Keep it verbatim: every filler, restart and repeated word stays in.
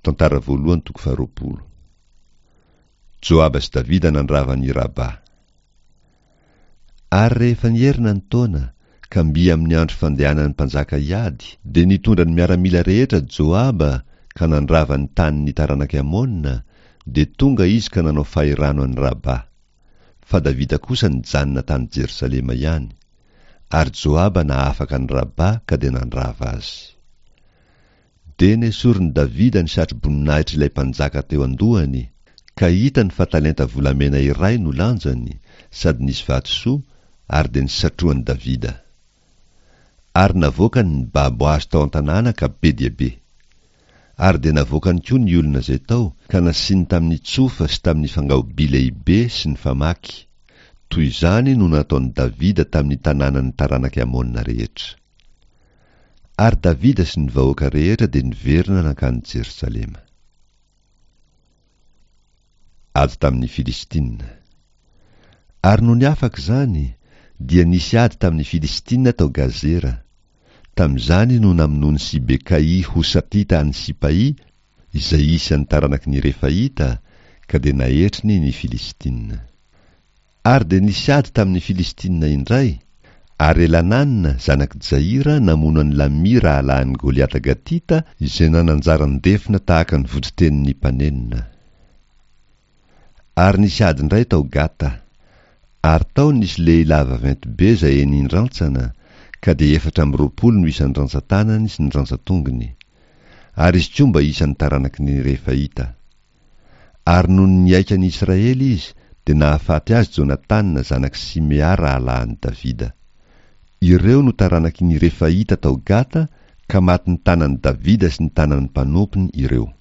Tantara voalohany toko faharoapolo. Joaba sy Davida nandrava an'i Rabà. Ary rehefa nierina ny taona, ka mby amin'ny andro fandehanan'ny mpanjaka hiady, dia nitondra ny miaramila rehetra Joaba ka nandrava ny tanin'ny taranak'i Amona, dia tonga izy ka nanao fahirano an'i Rabà. Fa Davida kosa nijanona tany Jerosalema ihany. Ary Joaba nahafaka an'i Rabà ka dia nandrava azy. Dia nesorin'i Davida ny satroboninahitr' ilay mpanjaka teo an-dohany, ka hitany fa talenta volamena iray no lanjany, sady nisy vatosoa, ary dia nisatrohan'i Davida. Ary navoakany ny babo azy tao an-tanàna ka be dia be. Ary dia navoakany koa ny olona izay tao, ka nasiany tamin'ny tsofa sy tamin'ny fangaoby lehibe sy ny famaky. Toy izany no nataon'i Davida tamin'ny tanànan'ny taranak'i Amona rehetra. Ary Davida sy ny vahoaka rehetra dia niverina nankany Jerosalema. Ady tamin'ny Filistina. Ary nony afaka izany, dia nisy ady tamin'ny Filistina tao Gazera. Tamin'izany no namonoan'i Sibekaỳ Hosatita an'i Sipaỳ, izay isan'ny taranaky ny Refaita, ka dia naetriny ny Filistina. Ary dia nisy ady tamin'ny Filistina indray, ary Elanana, zanak'i Jaira, namono an'i Lamy rahalahin'i Goliata Gatita, izay nananjaran-defona tahaka ny voditenin'ny mpanenona. Ary nisy ady indray tao Gata. Ary tao nisy lehilahy vaventy be izay enin-drantsana, ka dia efatra amby roapolo no isan'ny rantsan-tanany sy ny rantsan-tongony. Ary izy koa mba isan'ny taranaky ny Refaita. Ary nony nihaika an'i Israely izy, dia nahafaty azy Jonatana zanak'i Simea rahalahin'i Davida. Ireo no taranaky ny Refaita tao Gata, ka matin'ny tanan'i Davida sy ny tanan'ny mpanompony ireo.